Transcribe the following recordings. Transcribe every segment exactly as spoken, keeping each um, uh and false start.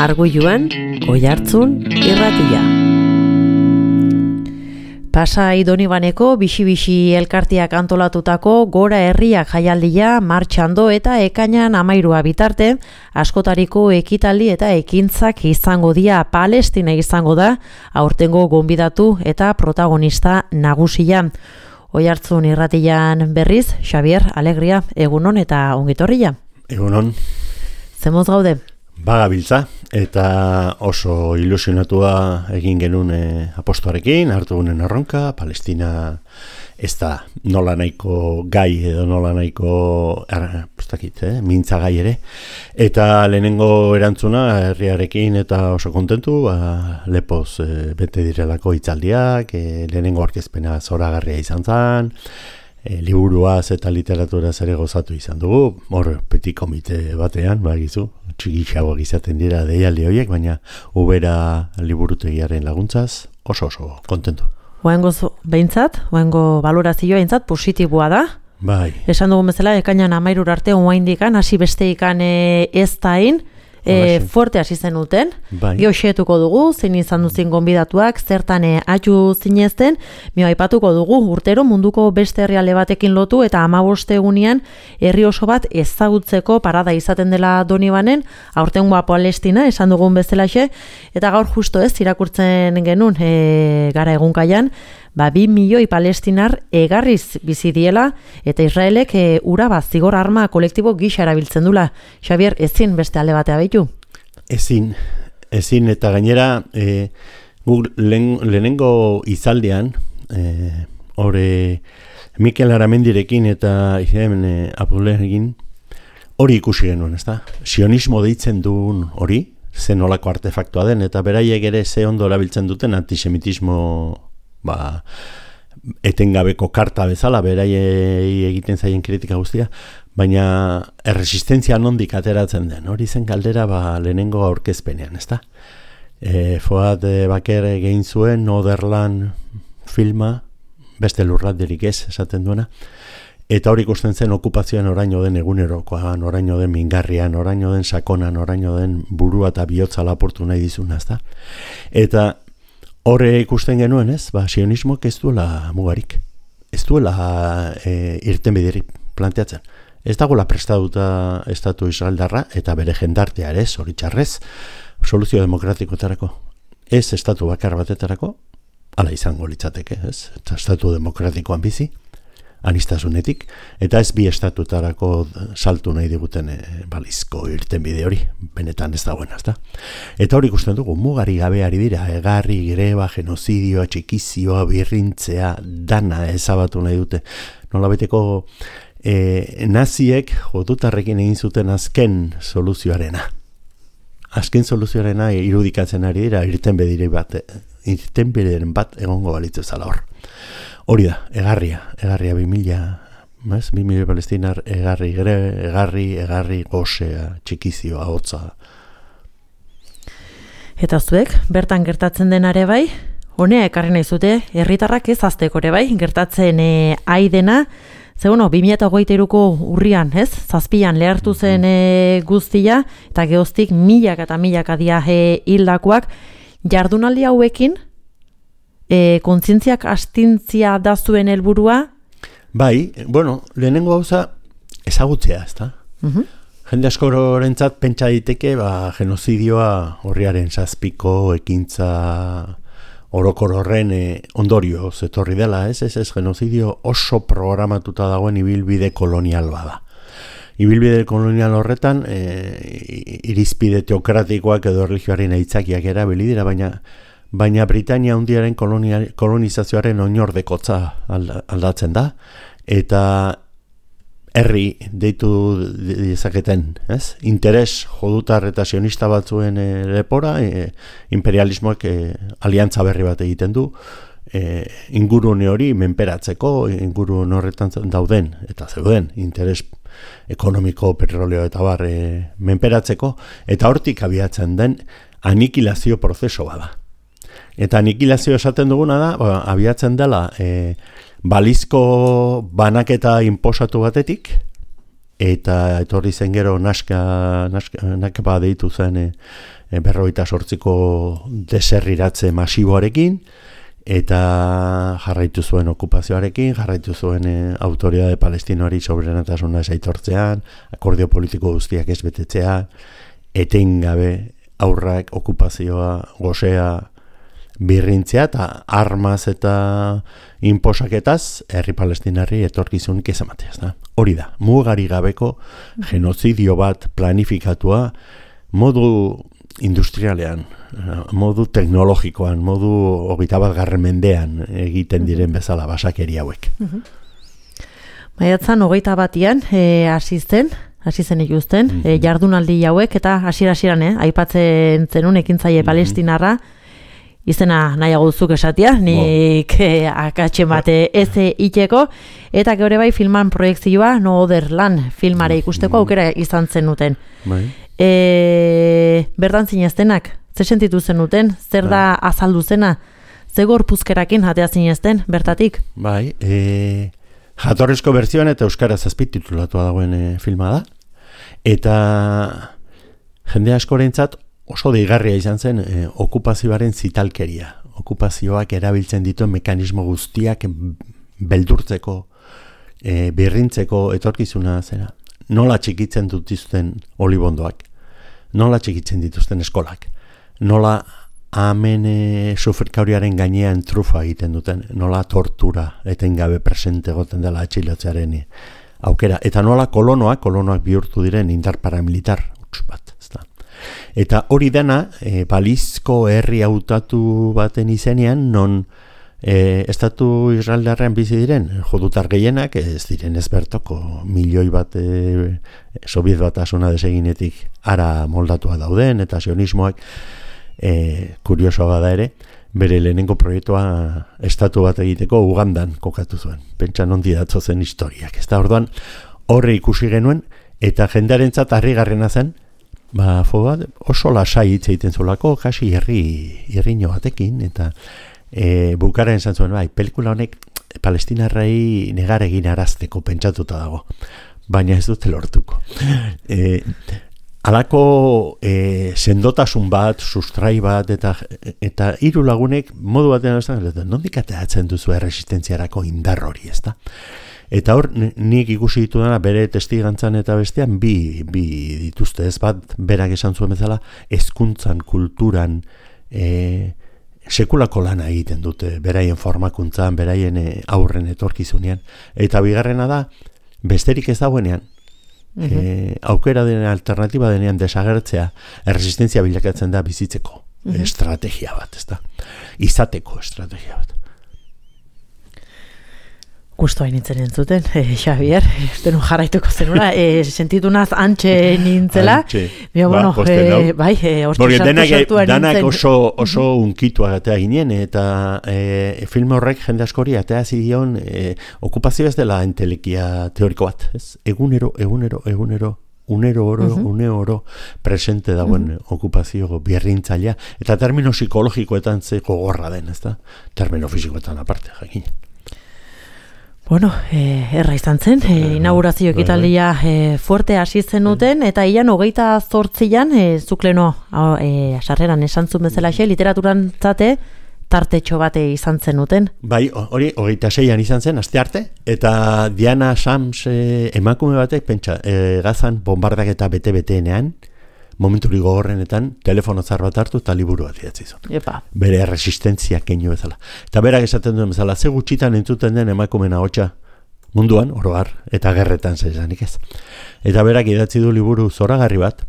Arguiluan, Oihartzun irratia. Pasai Donibaneko bixi-bixi elkartiak antolatutako Gora Herriak jaialdia martxando eta ekainan amairua bitarte, askotariko ekitaldi eta ekintzak izango dira. Palestina izango da, aurtengo gonbidatu eta protagonista nagusia. Oihartzun irratian berriz, Xavier Alegria, egunon eta ongitorria. Egunon. Zemoz gaude? Bagabiltza, eta oso ilusionatua egin genuen e, apostoarekin, hartu gunen erronka, Palestina ez da nola nahiko gai edo nola nahiko er, postakit, eh, mintza gai ere. Eta lehenengo erantzuna herriarekin eta oso kontentu, ba, lepoz e, bete direlako hitzaldiak, e, lehenengo aurkezpena zoragarria izan zen, E, liburuaz eta literaturaz ere gozatu izan dugu, hor petit komite batean, bagizu, txikixagoak izaten dira deialdi horiek, baina ubera liburutegiaren laguntzaz oso oso kontentu. Oengo behintzat, oengo valorazioa behintzat positiboa da. Bai. Esan dugun bezala, ekainan amairur arte oaindikan, hasi besteikan e, ez dain, E, fuerte hasi zenuten, bai. Geoxetuko dugu, zein izan duzin gonbidatuak, zertan e, atxu zinezten, mio aipatuko dugu, urtero munduko beste herrialde batekin lotu eta hamabost egunean herri oso bat ezagutzeko parada izaten dela Donibanen, aurtengoa Palestina, esan dugun bezalaxe, eta gaur justo ez, irakurtzen genuen e, gara egunkaian, ba, bi milioi palestinar egarriz bizi diela eta Israelek e, ura bat zigor arma kolektibo gisa erabiltzen dula. Xavier, ezin beste alde batea baitu? Ezin, ezin eta gainera e, guk lehen, lehenengo izaldean e, hori Mikel Aramendirekin eta hemen e, Apulerekin hori ikusi genuen, ezta? Sionismo deitzen duen hori, zen olako artefaktua den, eta beraiek ere ze ondo erabiltzen duten antisemitismo ba, etengabeko karta bezala, beraiei egiten zaien kritika guztia, baina erresistentzia nondik ateratzen den, hori zen galdera ba, lehenengo aurkezpenean, ezta? E, Foad Baker egin zuen Noderland filma, beste lurralderik ez, esaten duena, eta hori ikusten zen okupazioan oraino den egunerokoan, oraino den mingarrian, oraino den sakonan, oraino den burua eta bihotza laportu nahi dizuna, ezta? Eta horre ikusten genuen, ez? Ba, sionismoak ez duela mugarik. Ez duela e, irtenbiderik planteatzen. Ez dagoela prestatuta estatu israeldarra eta bere jendartea ere, zoritxarrez, soluzio demokratikoetarako. Ez estatu bakar batetarako, hala izango litzateke, ez? Eta estatu demokratikoan bizi, anistasunetik, eta ez bi estatutarako saltu nahi diguten e, balizko irtenbide hori, benetan ez dagoen, ezta? Eta hori ikusten dugu, mugari gabeari dira, egarri, greba, genozidioa, txikizioa, birrintzea, dana ezabatu nahi dute. Nolabeteko e, naziek jotutarrekin egin zuten azken soluzioarena. Azken soluzioarena irudikatzen ari dira, irtenbide bat, irtenbideren bat egongo balitzu zala hor. Hori da, egarria, egarria bi mila, bez? Bi mila palestinar, egarri, gre, egarri, egarri, gozea, txikizioa, hotza. Eta zuek, bertan gertatzen denare bai, honea ekarri nahi zute, herritarrak ez azteko ere bai, gertatzen e, aidena, ze bueno, bi mila hogeita hiruko urrian, ez? Zazpian lehartu zen e, guztia, eta gehoztik milaka eta milaka dia e, hildakoak, jardunaldi hauekin, E, kontzientziak astintzia da zuen helburua? Bai, bueno, lehenengo gauza ezagutzea, ezta? Uh-huh. Jende askorentzat pentsa daiteke, ba, genozidioa horriaren zazpiko ekintza orokor horren e, ondorio zetorri dela, ez? Ez ez, genozidio oso programatuta dagoen ibilbide kolonial bada. Ibilbide kolonial horretan e, irizpide teokratikoak edo erlijioaren aitzakiak erabili dira, baina Baina Britania hundiaren kolonizazioaren oinordekotza aldatzen da, eta herri deitu dezaketen, ez? Interes jodutar eta sionista batzuen e, lepora, e, imperialismoak e, aliantza berri bat egiten du, e, ingurune hori menperatzeko, ingurune horretan dauden, eta zeuden, interes ekonomiko, petroleo eta bar e, menperatzeko, eta hortik abiatzen den anikilazio prozeso bada. Eta anikilazio esaten duguna da, ba, abiatzen dela e, balizko banaketa inposatu batetik, eta etorri zen gero naska, naska, nakapa deitu zen e, e, berroita sortziko deserriratze masiboarekin, eta jarraitu zuen okupazioarekin, jarraitu zuen e, autoridade palestinoari soberenatasuna ez aitortzean, akordio politiko guztiak ez betetzean, etengabe aurrak okupazioa, gozea, birrintzea eta armaz eta inposaketaz herri palestinarri etorkizunik ez ematea. Da? Hori da, mugari gabeko genozidio bat planifikatua modu industrialean, modu teknologikoan, modu hogeita bat garren mendean egiten diren bezala basakeri hauek. Maiatzan hogeita batian hasi zen, hasi zen ikusten, mm -hmm. jardunaldi hauek eta hasiera-hasieran eh, aipatzen zenun ekintzaile mm -hmm. palestinarra, izena nahiago duzuk esatia, nik eh, akatxe bate ez iteko, eta geure bai filman proiektzioa No Other Land filmare ikusteko aukera izan zenuten. Bai. E, bertan zineztenak, ze sentitu zenuten, zer da azaldu zena, ze gorpuzkerakin jatea zinezten, bertatik? Bai, e, jatorrizko berzioan eta euskaraz azpititulatua dagoen e, filma da, eta jende askorentzat oso deigarria izan zen e, okupazioaren zitalkeria. Okupazioak erabiltzen dituen mekanismo guztiak beldurtzeko, e, birrintzeko etorkizuna zera. Nola txikitzen dituzten olibondoak, nola txikitzen dituzten eskolak, nola amen e, sufrikauriaren gainean trufa egiten duten, nola tortura etengabe presente goten dela atxilotzearen aukera, eta nola kolonoak, kolonoak bihurtu diren indar paramilitar bat. Eta hori dena, e, balizko herri hautatu baten izenean, non e, estatu israeldarrean bizi diren, judutar gehienak, ez diren ezbertoko milioi bat e, sobiet batasuna deseginetik ara moldatua dauden, eta sionismoak, e, kuriosoa da ere, bere lehenengo proiektua estatu bat egiteko Ugandan kokatu zuen. Pentsa nondi datzo zen historiak. Ez da orduan horre ikusi genuen, eta jendarentzat harrigarrena zen, ba, fobat, oso lasai hitz egiten zulako, kasi herri, herriño batekin, eta e, bukaren esan zuen, bai, pelikula honek palestinarrei negar egin arazteko pentsatuta dago, baina ez dute lortuko. E, Halako e, sendotasun bat, sustrai bat, eta, eta hiru lagunek modu batean ez nondik ateratzen duzu erresistentziarako indar hori, ez da? Eta hor, nik ikusi ditu dena bere testigantzan eta bestean bi, bi dituzte, ez bat, berak esan zuen bezala, hezkuntzan, kulturan, e, sekulako lana egiten dute, beraien formakuntzan, beraien e, aurren etorkizunean. Eta bigarrena da, besterik ez dagoenean, mm-hmm. e, aukera denean, alternatiba denean desagertzea, erresistentzia bilakatzen da bizitzeko mm-hmm. estrategia bat, ez da? Izateko estrategia bat. Gusto hain nintzen entzuten, eh, Xavier, estenu jarraituko zenura, eh, sentitu naz antxe nintzela. Antxe, Bio, ba, bueno, eh, bai, eh, orte sartu sartuan nintzen. Danak oso, oso mm-hmm. unkitu agatea ginen, eta eh, film horrek jende askori atea zidion, eh, okupazio ez dela entelekia teoriko bat, ez? Egunero, egunero, egunero, unero oro, uh-huh. une oro presente dagoen uh-huh. okupazio birrintzailea, eta termino psikologikoetan ze gogorra den, ez da? Termino fisikoetan aparte, jakin. Bueno, eh, erra izan zen, eh, inaugurazio ekitaldia eh, fuerte hasi zenuten, eta ian hogeita zortzian, eh, zukleno eh, sarreran esan zuen bezala xe, literaturan zate, tartetxo bate izan zenuten. Bai, hori, hogeita seian izan zen, aste arte, eta Diana Sams eh, emakume batek, pentsa, eh, gazan bombardak eta bete-beteenean, momenturi gogorrenetan, telefono zar bat hartu eta liburu bat idatzi zuen. Epa. Bere resistentzia keinu bezala. Eta berak esaten duen bezala, ze gutxitan entzuten den emakumeen ahotsa munduan, oroar, eta gerretan zezanik ez. Eta berak idatzi du liburu zoragarri bat,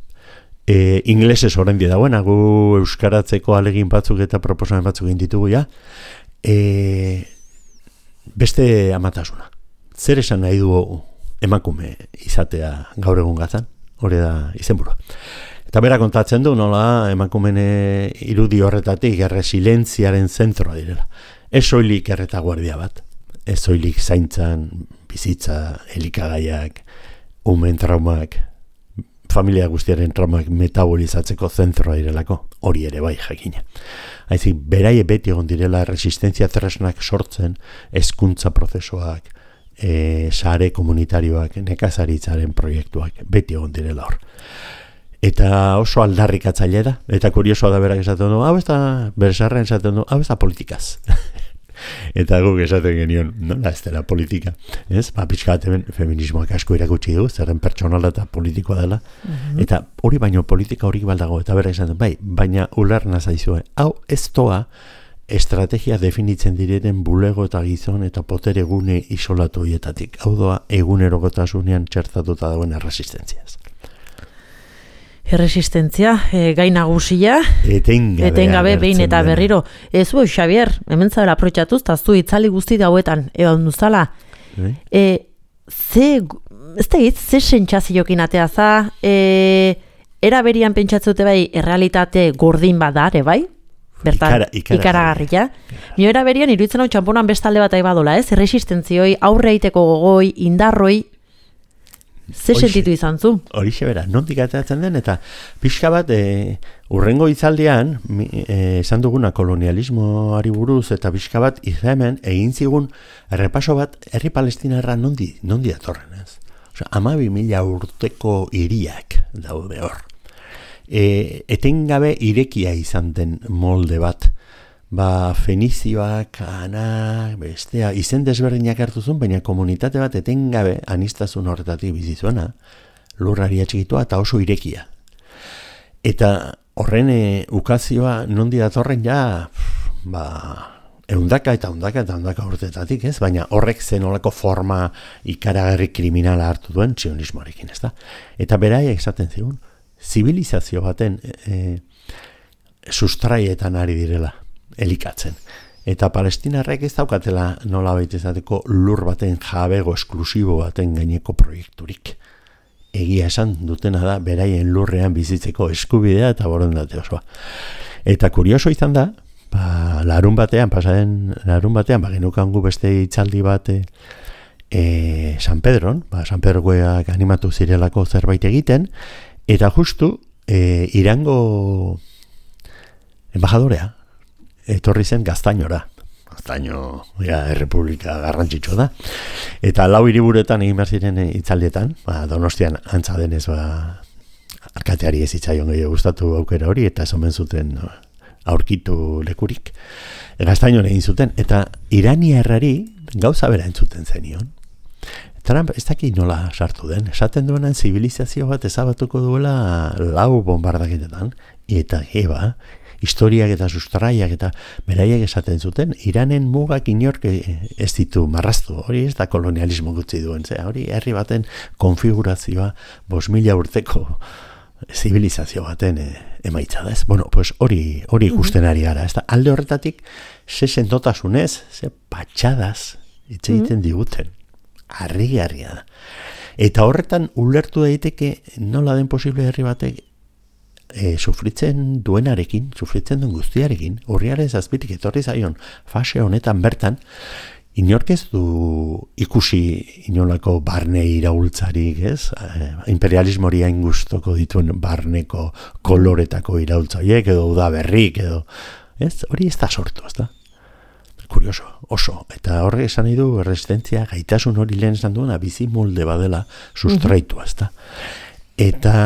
e, inglesez oraindik dagoena, gu euskaratzeko alegin batzuk eta proposamen batzuk egin ditugu ja, e, beste amatasuna. Zer esan nahi du emakume izatea gaur egun gazan? Hori da izenburua. Eta bera kontatzen du, nola emakumene irudi horretatik erresilentziaren zentroa direla. Ez soilik erreta guardia bat, ez soilik zaintzan, bizitza, elikagaiak, umen traumak, familia guztiaren traumak metabolizatzeko zentroa direlako, hori ere bai jakina. Haizik, beraie beti egon direla resistentzia tresnak sortzen, hezkuntza prozesuak, e, sare komunitarioak, nekazaritzaren proiektuak, beti egon direla hor. Eta oso aldarrikatzaile da, eta kuriosoa da berak esaten du, hau ez da, beresarren esaten du, hau ez da politikaz. Eta guk esaten genion, nola ez dela politika. Ez? Ba, pixka bat hemen feminismoak asko irakutsi du, zerren pertsonala eta politikoa dela. Mm-hmm. Eta hori baino politika hori baldago, eta berak esaten, bai, baina ulerna zaizue, hau ez toa estrategia definitzen direten bulego eta gizon eta potere gune isolatu hietatik. Hau doa egunerokotasunean txertatuta dagoen erresistentziaz. Erresistentzia, e, gai nagusia, etengabe, etengabe behin eta berriro. Ez zu, Xavier, hemen zabela aprotxatuz, eta zu itzali guzti dauetan, egon duzala. E, ze, ez da hitz, ze sentsaziokin atea za, e, era berian pentsatzute bai, errealitate gordin badare, bai? Bertan, Ikara, ikara, ikaragarria. Nio era berian, iruditzen hau txamponan bestalde bat aibadola, ez? Erresistentzioi, aurre egiteko gogoi, indarroi, ze sentitu izan zu? Horixe bera, nondik ateratzen den, eta pixka bat, e, urrengo itzaldian, e, esan duguna kolonialismoari buruz, eta pixka bat, hemen egin zigun, errepaso bat, herri palestinarra nondi, nondi datorren, ez? Osa, amabi mila urteko hiriak daude hor. E, etengabe irekia izan den molde bat, ba, Fenizioak, Ana, bestea, izen desberdinak hartu zuen, baina komunitate bat etengabe anistazun horretatik bizizuena, lurrari atxikitua eta oso irekia. Eta horren e, ukazioa nondi datorren ja, ba, eundaka eta eundaka eta eundaka urtetatik, ez? Baina horrek zenolako forma ikaragarri kriminala hartu duen zionismoarekin, ez da? Eta beraiek esaten zigun, zibilizazio baten e, sustraietan ari direla. Elikatzen. Eta palestinarrek ez daukatela nola baita izateko lur baten jabego esklusibo baten gaineko proiekturik. Egia esan dutena da beraien lurrean bizitzeko eskubidea eta borondate osoa. Eta kurioso izan da, ba, larun batean, pasaren larun batean, ba, genukangu beste itzaldi bat e, San Pedron, ba, San Pedrokoak animatu zirelako zerbait egiten, eta justu e, Irango embajadorea, etorri zen Gaztainora. Gaztaino, ja, errepublika garrantzitsua da. Eta lau hiriburuetan egin behar ziren itzaldietan, ba, Donostian antza denez, ba, alkateari ez itzaion gehiago gustatu aukera hori, eta esan zuten no, aurkitu lekurik. Gaztainora egin zuten, eta Irania errari gauza bera entzuten zenion. Trump ez daki nola sartu den, esaten duenan zibilizazio bat ezabatuko duela lau bombardaketetan, eta eba, historiak eta sustraiak eta beraiek esaten zuten, Iranen mugak inork ez ditu marraztu, hori ez da kolonialismo gutxi duen, ze, hori herri baten konfigurazioa bos mila urteko zibilizazio baten e, emaitza da, ez? Bueno, pues hori, hori ikusten ari gara, ez da, alde horretatik, ze sendotasunez, ze patxadaz, hitz egiten diguten, harri-harria da. Eta horretan ulertu daiteke nola den posible herri batek E, sufritzen duenarekin, sufritzen duen guztiarekin, urriaren zazpitik etorri zaion fase honetan bertan, inork ez du ikusi inolako barne iraultzarik, ez? E, imperialismori hain gustoko dituen barneko koloretako iraultzaiek edo udaberrik edo, ez? Hori ez da sortu, ez da? Kurioso, oso. Eta horre esan nahi du resistentzia gaitasun hori lehen esan duena bizi molde badela sustraitua, ez da? Eta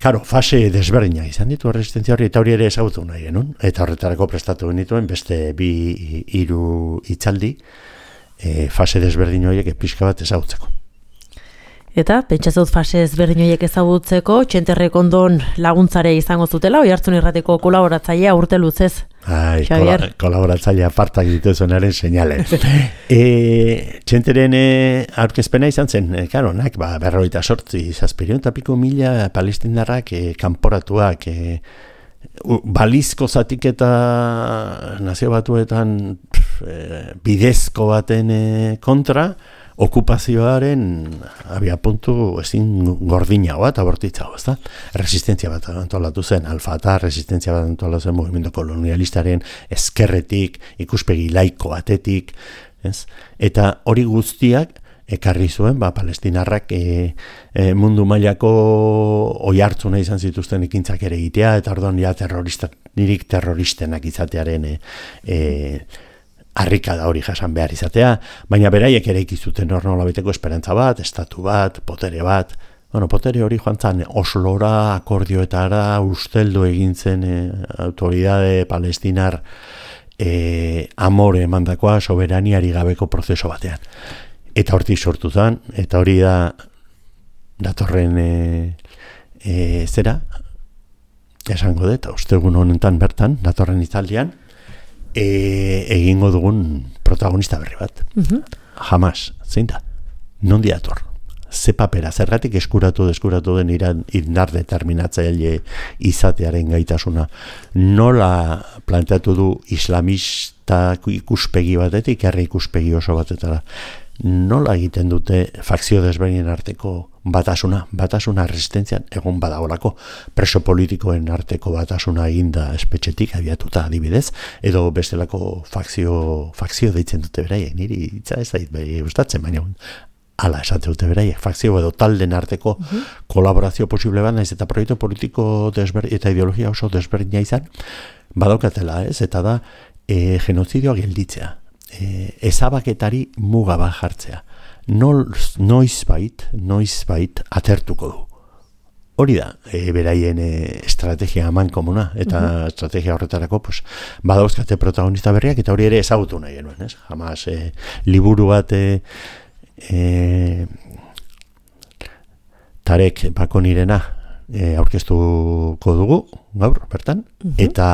Karo, fase desberdina izan ditu resistentzia hori, eta hori ere ezagutu nahi genuen, eta horretarako prestatu genituen beste bi hiru itzaldi, e, fase desberdin horiek pixka bat ezagutzeko. Eta, pentsatzut fase ezberdin horiek ezagutzeko, Txenterrek ondon laguntzare izango zutela, Oihartzun Irratiko kolaboratzailea urte luzez. Ai, kola, kolaboratzailea apartak dituzunaren seinale. e, Txenteren e, aurkezpena izan zen, e, karo, nak, ba, berroita sortzi, zazpirion eta piko mila palestindarrak e, kanporatuak, e, u, balizko zatik eta nazio batuetan pf, e, bidezko baten e, kontra, okupazioaren abia puntu ezin gordinagoa eta bortitzagoa, ezta? Resistentzia bat antolatu zen, Al-Fatah resistentzia bat antolatu zen mugimendu kolonialistaren ezkerretik, ikuspegi laiko batetik, ez? Eta hori guztiak ekarri zuen, ba, palestinarrak e, e, mundu mailako oihartzuna izan zituzten ekintzak ere egitea, eta orduan ja terroristak, nirik terroristenak izatearen e, e, harrika da hori jasan behar izatea, baina beraiek ere ikizuten hor nolabeteko esperantza bat, estatu bat, potere bat. Bueno, potere hori joan zan Oslora, akordioetara, usteldu egin zen e, autoridade palestinar e, amore emandakoa soberaniari gabeko prozeso batean. Eta hortik sortu zen, eta hori da datorren e, e, zera, esango dut, ostegun honetan bertan, datorren itzaldian, e, egingo dugun protagonista berri bat. Uh-huh. Hamas, zein da? Nondi dator? Ze papera, zergatik eskuratu deskuratu den iran indar determinatzaile izatearen gaitasuna. Nola planteatu du islamista ikuspegi batetik, herri ikuspegi oso batetara. Nola egiten dute fakzio desberdinen arteko batasuna, batasuna resistentzian egon badaolako, preso politikoen arteko batasuna eginda espetxetik abiatuta adibidez, edo bestelako fakzio, fakzio deitzen dute beraiek, niri itza ez dait bai gustatzen, baina hala esate dute beraiek, fakzio edo talden arteko uh-huh. kolaborazio posible bat, naiz eta proiektu politiko desberdin eta ideologia oso desberdina izan, badaukatela ez, eta da e, genozidioa gelditzea, e, ezabaketari muga bat jartzea, noiz, noiz bait, noiz bait atertuko du. Hori da, e, beraien e, estrategia aman komuna, eta uh-huh. estrategia horretarako pues, badauzkate protagonista berriak, eta hori ere ezagutu nahi genuen, ez? Jamás e, liburu bat e, E, Tarek Bakonirena e, aurkeztuko dugu gaur bertan uh-huh. eta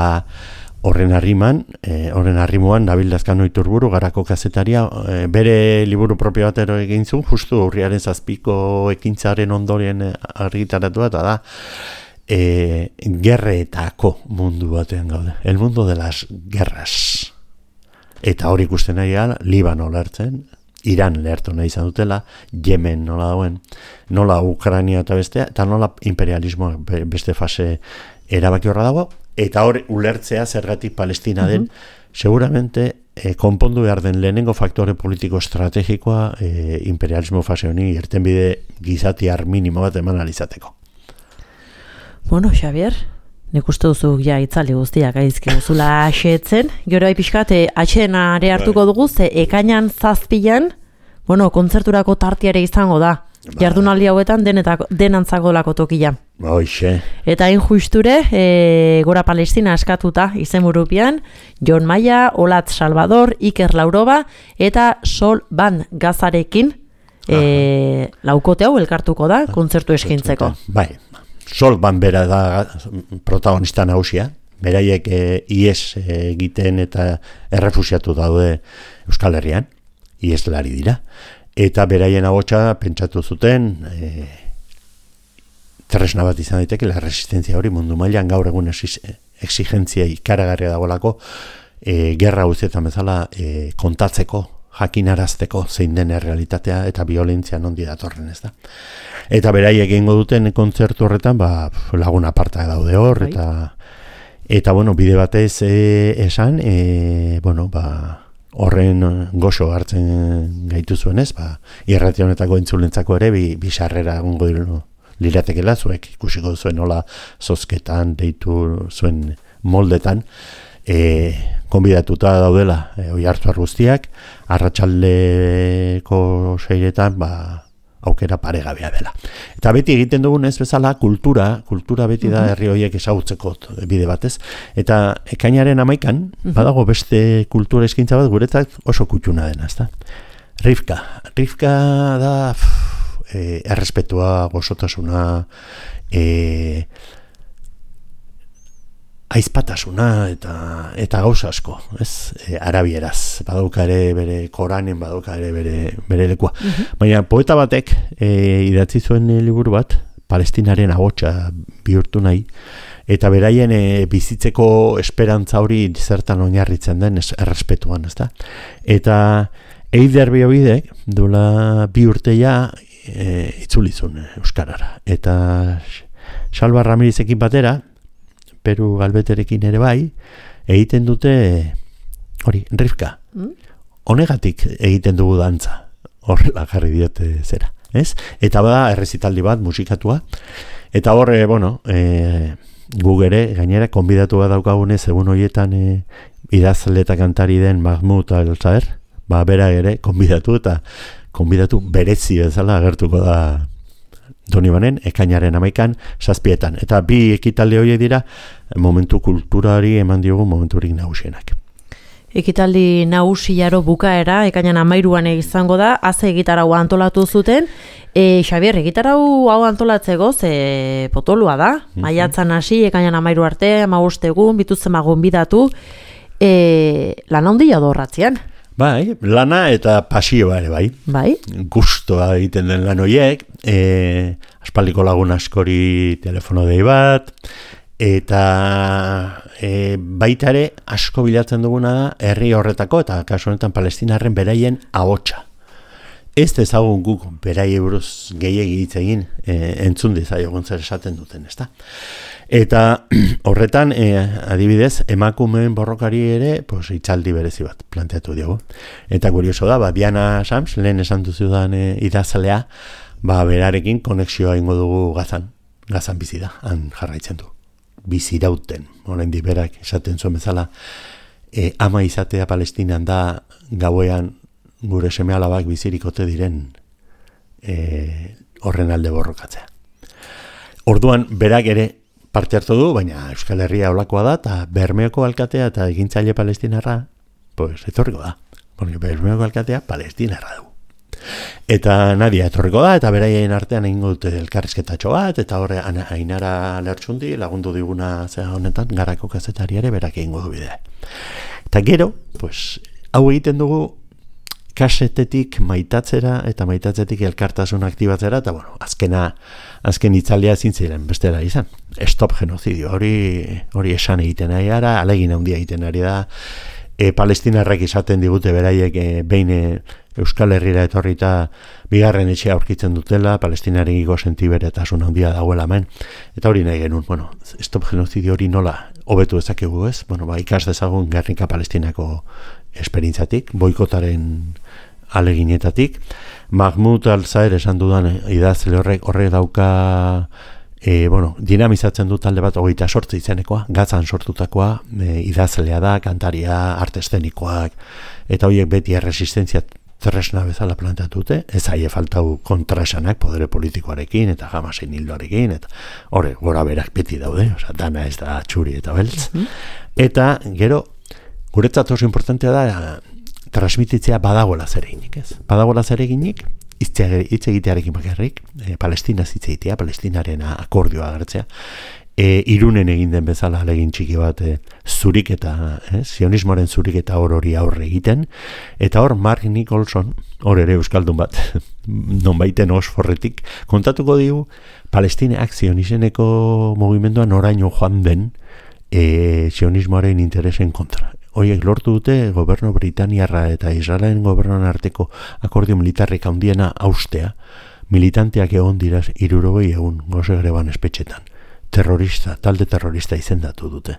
horren harriman e, horren harrimuan Nabil Lazkano Iturburu Garako kazetaria e, bere liburu propio batero egin zuen justu urriaren zazpiko ekintzaren ondorien argitaratu eta da e, gerretako mundu batean gaude, el mundo de las guerras, eta hori ikusten nahi gara Libano lertzen, Iran lehertu nahi izan dutela, Yemen nola dauen, nola Ukraina eta bestea, eta nola imperialismo beste fase erabaki horra dago, eta hor ulertzea zergatik Palestina den, uh-huh. seguramente eh, konpondu behar den lehenengo faktore politiko estrategikoa eh, imperialismo fase honi irtenbide gizatiar minimo bat eman alizateko. Bueno, Xavier, nik uste duzu ja itzali guztiak aizki guzula asetzen. Gero pixkat, atxenare hartuko dugu, ze ekainan zazpilan, bueno, kontzerturako tartiare izango da. Ba. Jardunaldi hauetan denetako, denantzagolako tokia. Hoxe. Eta hain justure, e, Gora Palestina askatuta izenburupian, Jon Maia, Olatz Salvador, Iker Lauroba, eta Sol Ban Gazarekin e, laukote hau elkartuko da, kontzertu eskintzeko. Bai. Sol Ban bera da protagonista nagusia, beraiek e, ies egiten eta errefusiatu daude Euskal Herrian, ieslari dira, eta beraien agotxa pentsatu zuten e, tresna bat izan daiteke la resistentzia hori mundu mailan gaur egun exigentzia ikaragarria dagoelako e, gerra guztietan bezala e, kontatzeko, jakinarazteko zein den errealitatea eta violentzia nondi datorren, ez da. Eta beraiek egingo duten kontzertu horretan, ba, lagun aparta daude hor, eta eta bueno, bide batez e, esan, e, bueno, ba, horren goxo hartzen gaitu zuenez, ba, irrati honetako entzulentzako ere, bi, bi sarrera egongo liratekela, zuek ikusiko zuen nola zozketan, deitu zuen moldetan, e, konbidatuta daudela, e, oi hartuar guztiak, arratsaldeko seiretan, ba, aukera paregabea dela. Eta beti egiten dugun ez bezala kultura, kultura beti da herri horiek ezagutzeko bide batez. Eta ekainaren amaikan, badago beste kultura eskaintza bat guretzat oso kutxuna dena, ezta? Rivka. Rivka da pff, e, errespetua, gozotasuna, e, aizpatasuna eta eta gauza asko, ez? E, arabieraz, badauka ere bere Koranen, badauka ere bere bere lekua. Uh-huh. Baina poeta batek e, idatzi zuen liburu bat, Palestinaren ahotsa bihurtu nahi, eta beraien e, bizitzeko esperantza hori zertan oinarritzen den errespetuan, ezta? Eta Eider Biobidek duela bi urteia e, itzulizun euskarara. Eta Salva Ramirizekin batera, Peru Galbeterekin ere bai, egiten dute hori, Rivka. Mm? Honegatik egiten dugu dantza. Horrela jarri diote zera, ez? Eta bada errezitaldi bat musikatua. Eta horre, bueno, e, gu ere gainera konbidatu bat daukagunez egun horietan e, idazle eta kantari den Mahmoud Al-Saer, ba, bera ere, konbidatu eta konbidatu berezi bezala agertuko da Donibanen, ekainaren amaikan, zazpietan. Eta bi ekitaldi horiek dira, momentu kulturari eman diogu momenturik nagusienak. Ekitaldi nagusiaro bukaera, ekainan amairuan izango da, haze egitarau antolatu zuten, e, Xabier, egitarau hau antolatzeko, ze potolua da, mm-hmm. maiatzan hasi, ekainan amairu arte, amabost egun, bitutzen magun bidatu, e, lan handia dorratzean. Bai, lana eta pasioa ere bai. Bai. Gustoa egiten den lan horiek, e, aspaldiko lagun askori telefono dei bat, eta e, baita ere asko bilatzen duguna da herri horretako, eta kasu honetan palestinarren beraien ahotsa. Ez dezagun guk berai buruz gehiegi hitz egin, e, entzun dezaiogun zer esaten duten, ezta? Eta horretan, e, adibidez, emakumeen borrokari ere, pues, itzaldi berezi bat planteatu diogu. Eta kurioso da, ba, Diana Sams, lehen esan duzudan e, idazalea, ba, berarekin konexioa ingo dugu Gazan. Gazan bizi da, han jarraitzen du. Bizirauten, oraindik berak esaten zuen bezala, e, ama izatea Palestinan da gauean gure seme-alabak bizirik ote diren e, horren alde borrokatzea. Orduan, berak ere parte hartu du, baina Euskal Herria olakoa da, eta Bermeoko alkatea eta egintzaile palestinarra, pues, etorriko da. Porque Bermeoko alkatea palestinarra du. Eta Nadia etorriko da, eta beraien artean egingo dute elkarrizketatxo bat, eta horre Ainara Lertxundi lagundu diguna zera honetan, Garako kazetari ere berak egingo du bidea. Eta gero, pues, hau egiten dugu kasetetik maitatzera eta maitatzetik elkartasun aktibatzera, eta bueno, azkena, azken itzaldia ezin ziren bestera izan. Stop genozidio, hori, hori esan egiten ari gara, alegin handia egiten ari da, e, palestinarrak izaten digute beraiek e, behin e, Euskal Herrira etorrita bigarren etxea aurkitzen dutela, palestinarekiko sentiberetasun handia dagoela hemen, eta hori nahi genuen, bueno, stop genozidio hori nola hobetu ezakegu ez, bueno, ba, ikas dezagun Gernika Palestinako esperintzatik, boikotaren aleginetatik. Mahmoud Al-Saer esan dudan idazle horrek horrek dauka e, bueno, dinamizatzen du talde bat hogeita sortzi izenekoa, Gazan sortutakoa, e, idazlea da, kantaria, arte eszenikoak, eta horiek beti erresistentzia tresna bezala planteatu dute, ez aie faltau kontraesanak podere politikoarekin eta Hamasen hildoarekin, eta horre, gora berak beti daude, oza, dana ez da txuri eta beltz. Mm-hmm. Eta gero, guretzat oso importantea da transmititzea badagoela zereginik, ez? Badagoela zereginik, hitz egitearekin bakarrik, e, Palestina hitz egitea, Palestinaren akordioa agertzea, e, Irunen egin den bezala alegin txiki bat e, zurik eta, eh, sionismoaren zurik eta hor hori aurre egiten, eta hor Mark Nicholson, hor ere euskaldun bat, non baiten Oxforretik, kontatuko digu, Palestinak zionizeneko mugimenduan oraino joan den e, sionismoaren interesen kontra. Horiek lortu dute gobernu Britaniarra eta Israelen gobernuan arteko akordio militarrik handiena haustea, militanteak egon dira hirurogei egun goze greban espetxetan. Terrorista, talde terrorista izendatu dute.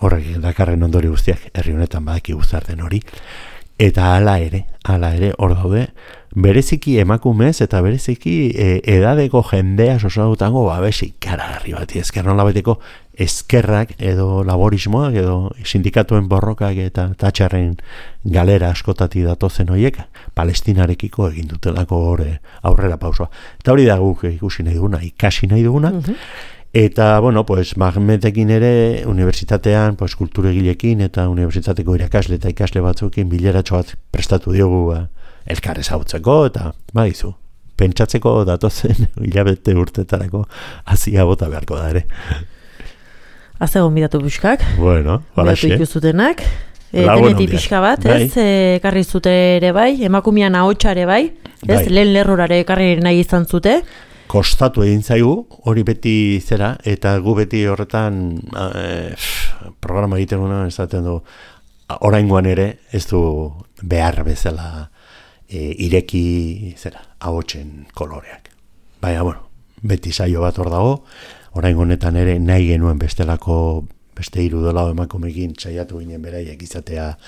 Horrek dakarren ondori guztiak herri honetan badaki guztar den hori. Eta hala ere, hala ere hor daude, bereziki emakumez eta bereziki e, edadeko jendea sosadutango babesi karagarri bat, ezker nola bateko eskerrak edo laborismoak edo sindikatuen borrokak eta tatxarren galera askotati datozen horiek Palestinarekiko egin dutelako hori aurrera pausoa. Eta hori da guk ikusi nahi duguna, ikasi nahi duguna, mm-hmm. Eta, bueno, pues, Mahmetekin ere, unibertsitatean, pues, kulturegilekin eta unibertsitateko irakasle eta ikasle batzuekin bileratxo bat prestatu diogu ba, elkarrez hautzeko, eta, badizu, pentsatzeko datozen hilabete urtetarako hazia bota beharko da ere. Azegon bidatu buskak. Bueno, balaxe. Bidatu ikuzutenak. E, Teneti pixka bat, bai. Ez, e, karri zute ere bai, emakumian ahotsa ere bai, ez, bai. Lehen lerrorare karri nahi izan zute. Kostatu egin zaigu, hori beti zera, eta gu beti horretan e, programa egiten guna, esaten du, oraingoan ere ez du behar bezala e, ireki zera, ahotsen koloreak. Baina, bueno, beti saio bat hor dago, oraingo honetan ere nahi genuen bestelako, beste hiru dolau emakumekin saiatu ginen beraiek izatea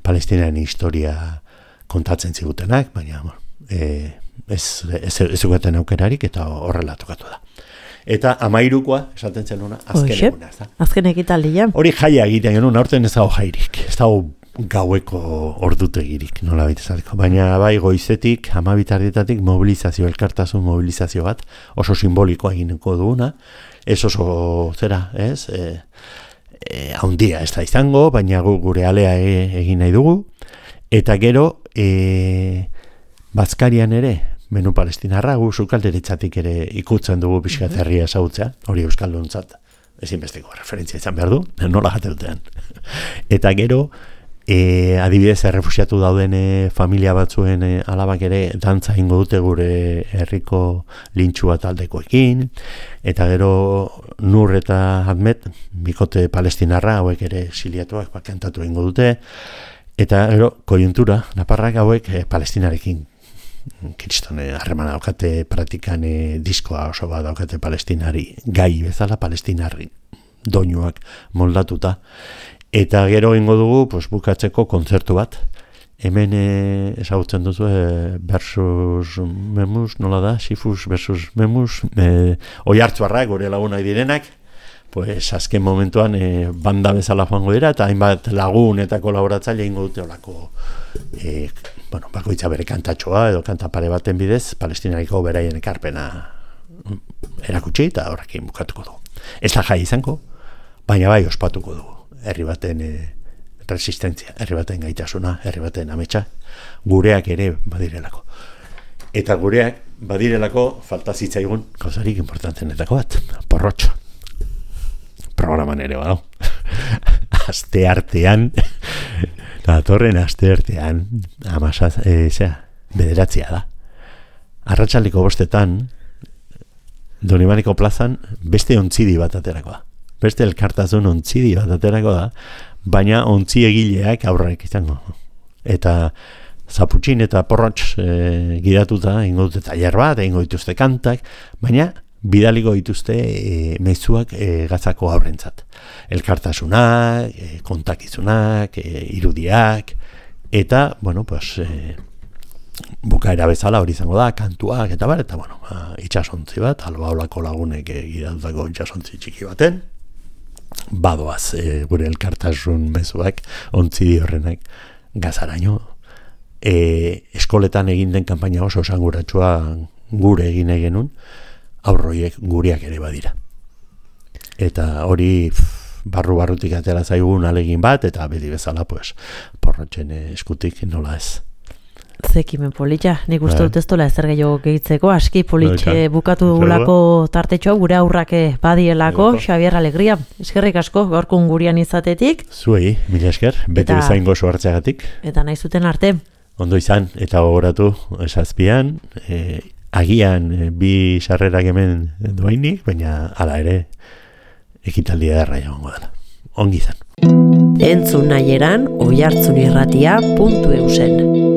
Palestinaren historia kontatzen zigutenak, baina, bueno, e, ez ez ez aukerarik eta horrela tokatu da. eta amairukoa, esaten zen una, azken Oixe, eguna. Azken ekitaldia. Hori jaia egiten genuen, aurten ez dago jairik, ez dago gaueko ordutegirik, nola baita esateko. Baina bai goizetik, hamabitardietatik mobilizazio, elkartasun mobilizazio bat, oso simbolikoa egineko duguna, ez oso zera, ez, e, e, haundia ez da izango, baina gu, gure alea e, egin nahi dugu, eta gero, e, Bazkarian ere, menu palestinarra, gu sukalderitzatik ere ikutzen dugu pixkat herria ezagutzea, hori euskalduntzat, ezinbesteko referentzia izan behar du, nola jate dutean. Eta gero, e, adibidez, errefusiatu dauden e, familia batzuen e, alabak ere dantza ingo dute gure herriko lintxua taldekoekin, eta gero Nur eta Ahmet, bikote palestinarra, hauek ere exiliatuak kantatu ingo dute, eta gero, kojuntura, naparrak hauek e, palestinarekin kiristone harremana daukate praktikan e, diskoa oso bat daukate palestinari gai bezala, palestinarri doinuak moldatuta, eta gero ingo dugu pues, bukatzeko kontzertu bat hemen e, ezagutzen duzu e, versus Memus, nola da, Sifus versus Memus, e, oi hartzuarrak gure lagunak direnak, pues azken momentuan e, banda bezala joango dira, eta hainbat lagun eta kolaboratzaile ingo dute olako e, bueno, bakoitza bere kantatxoa edo kanta pare baten bidez, palestinariko beraien ekarpena erakutsi eta horrekin bukatuko du. Ez da jai izango, baina bai ospatuko du. Herri baten e, resistentzia, herri baten gaitasuna, herri baten ametsa, gureak ere badirelako. Eta gureak badirelako falta zitzaigun gauzarik importantenetako bat, porrotxo. Programan ere badau. Aste artean, datorren aste artean, amasaz, e, zera, bederatzia da. Arratsaleko bostetan, Donibaneko plazan, beste ontzidi bat aterako da. Beste elkartasun ontzidi bat aterako da, baina ontzi egileak aurrak izango. Eta zaputxin eta porrotx e, gidatuta, ingo dute tailer bat, ingo dituzte kantak, baina bidaliko dituzte e, mezuak e, gazako aurrentzat. Elkartasunak, e, kontakizunak, e, irudiak, eta, bueno, pues, e, bukaera bezala hori izango da, kantuak, eta bar, eta, bueno, ba, itxasontzi bat, albaolako lagunek e, gidatutako itxasontzi txiki baten, badoaz e, gure elkartasun mezuak, ontzi horrenak gazaraino. E, eskoletan egin den kanpaina oso esanguratsua gure egin genuen, aurroiek gureak ere badira. Eta hori barru-barrutik atera zaigun alegin bat, eta beti bezala, pues, porrotxen eskutik nola ez. Zekimen politxa, nik uste dut ez dola ezer gehiago gehitzeko, aski politxe bukatu dugulako tartetxo, gure aurrak badielako, Xabier Alegria, eskerrik asko, gaurkun gurian izatetik. Zuei, mila esker, beti bezain gozo hartzeagatik. Eta nahi zuten arte. Ondo izan, eta gogoratu, esazpian, e, agian e, bi sarrerak hemen duainik, baina hala ere ekitaldia derra jagongo dela. Ongi izan. Entzun nahi eran, oihartzunirratia puntu eusen.